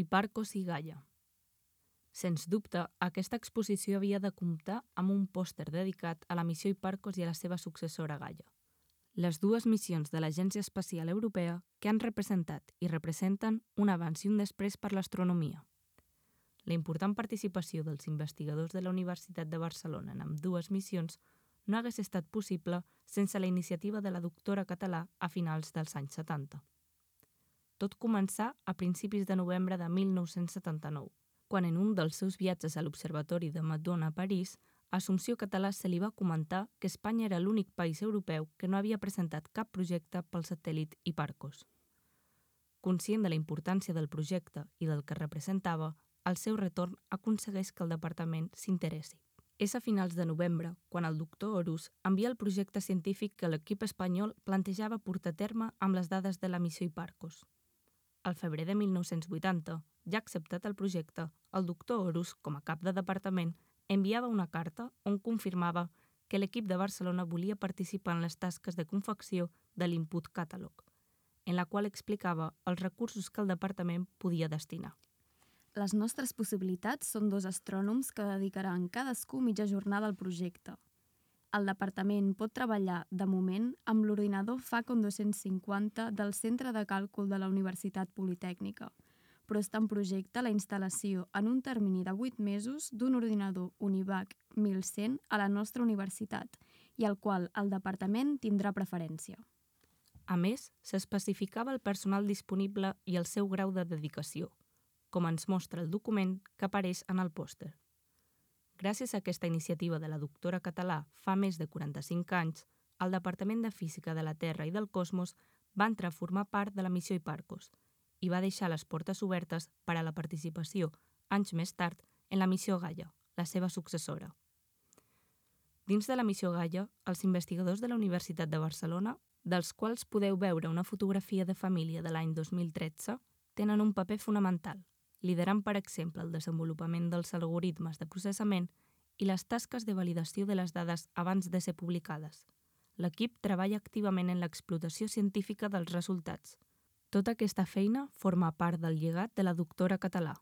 Hiparcos i Gaia. Sens dubte, aquesta exposició havia de comptar amb un pòster dedicat a la missió Hiparcos i a la seva successora Gaia, les dues missions de l'Agència Espacial Europea que han representat i representen un abans i un després per l'astronomia. La important participació dels investigadors de la Universitat de Barcelona en ambdues missions no hagués estat possible sense la iniciativa de la doctora Català a finals dels anys 70. Tot començà a principis de novembre de 1979, quan en un dels seus viatges a l'Observatori de Meudon a París, a Assumpció Català se li va comentar que Espanya era l'únic país europeu que no havia presentat cap projecte pel satèl·lit Hiparcos. Conscient de la importància del projecte i del que representava, al seu retorn aconsegueix que el departament s'interessi. És a finals de novembre quan el doctor Horus envia el projecte científic que l'equip espanyol plantejava portar a terme amb les dades de la missió Hiparcos. Al febrer de 1980, ja acceptat el projecte, el doctor Horus, com a cap de departament, enviava una carta on confirmava que l'equip de Barcelona volia participar en les tasques de confecció de l'Input Catalog, en la qual explicava els recursos que el departament podia destinar. Les nostres possibilitats són 2 astrònoms que dedicaran cadascú mitja jornada al projecte. El departament pot treballar, de moment, amb l'ordinador Facon 250 del Centre de Càlcul de la Universitat Politècnica, però està en projecte la instal·lació en un termini de 8 mesos d'un ordinador Univac 1100 a la nostra universitat i al qual el departament tindrà preferència. A més, s'especificava el personal disponible i el seu grau de dedicació, com ens mostra el document que apareix en el pòster. Gràcies a aquesta iniciativa de la doctora Català fa més de 45 anys, el Departament de Física de la Terra i del Cosmos va entrar a formar part de la missió Hiparcos i va deixar les portes obertes per a la participació, anys més tard, en la missió Gaia, la seva successora. Dins de la missió Gaia, els investigadors de la Universitat de Barcelona, dels quals podeu veure una fotografia de família de l'any 2013, tenen un paper fonamental, liderant, per exemple, el desenvolupament dels algoritmes de processament i les tasques de validació de les dades abans de ser publicades. L'equip treballa activament en l'explotació científica dels resultats. Tota aquesta feina forma part del llegat de la doctora Català.